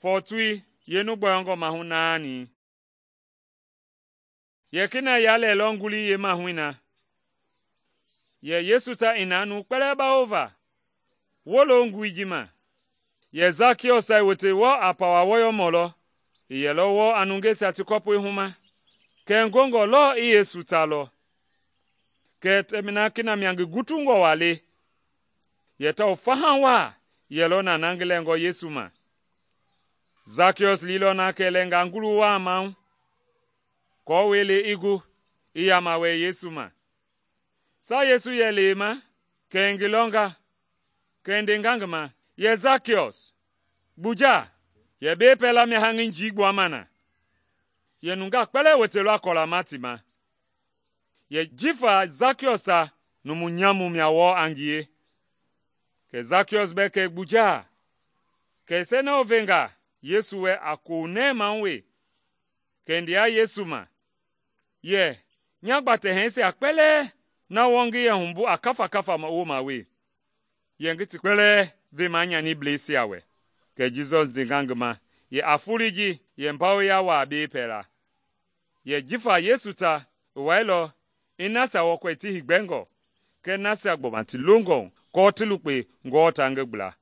fɔɔtui yeenu gbɔyɔngɔ maahu naani. Yɛ kena ya lɛɛlɔ ngulii yeemahui na, yɛ Yesu ta i na nuu kpɛlɛɛ bawova wolo ngului ji ma. Yɛ Sakiɔs i wote wɔɔ a pawa wɔyɔmɔ lɔ, i yɛlɔ wɔɔ a nungeisia ti kɔpɔi huma, kɛ ngongɔ lɔɔ i Yesu ta lɔ. Kɛ tɛmina kena mia ngi gutungɔ waa le, yɛ tawao faha waa yɛlɔ na ngi lɛngɔ Yesu ma. Sakiɔs liilɔ na kɛ lɛnga ngulu waa maahu, kɔɔwɛi le i gu i yama wɛ Yesu ma. Saa Yesu yɛ leema, kɛ i ngi lɔnga, kɛ i ndenga ngi ma, yɛ Sakiɔs, gbuja, yɛ bei pɛlɛ mia haŋi njii gbuama na. Yɛ nungaa kpɛlɛɛ wotelɔ a kɔlama ti ma. Yɛ jifa Sakiɔs ta numu nyamu mia wɔɔ a ngie. Kɛ Sakiɔs bɛɛ kɛ gbuja, kɛ i sɛnɛɔ venga Yesu wɛ a kounɛɛmahu we, kɛ i ndea Yesu ma, yɛ nya gbatɛhɛisia kpɛlɛɛ na wɔɔ ngi yɛ humbu a kafa wooma we, yɛ ngi ti kpɛlɛɛ vema nyanibleisia wɛ. Kɛ Jisɔs ndenga ngi ma, yɛ a foloi ji yɛ mbawoya waa bei pɛla. Yɛ jifa Yesu ta i wailɔ i nasia wɔkɔi ti heegbɛngɔ, kɛɛ nasia gbɔma ti longɔ kɔɔ ti lukpe ngɔɔ ta ngi gbla.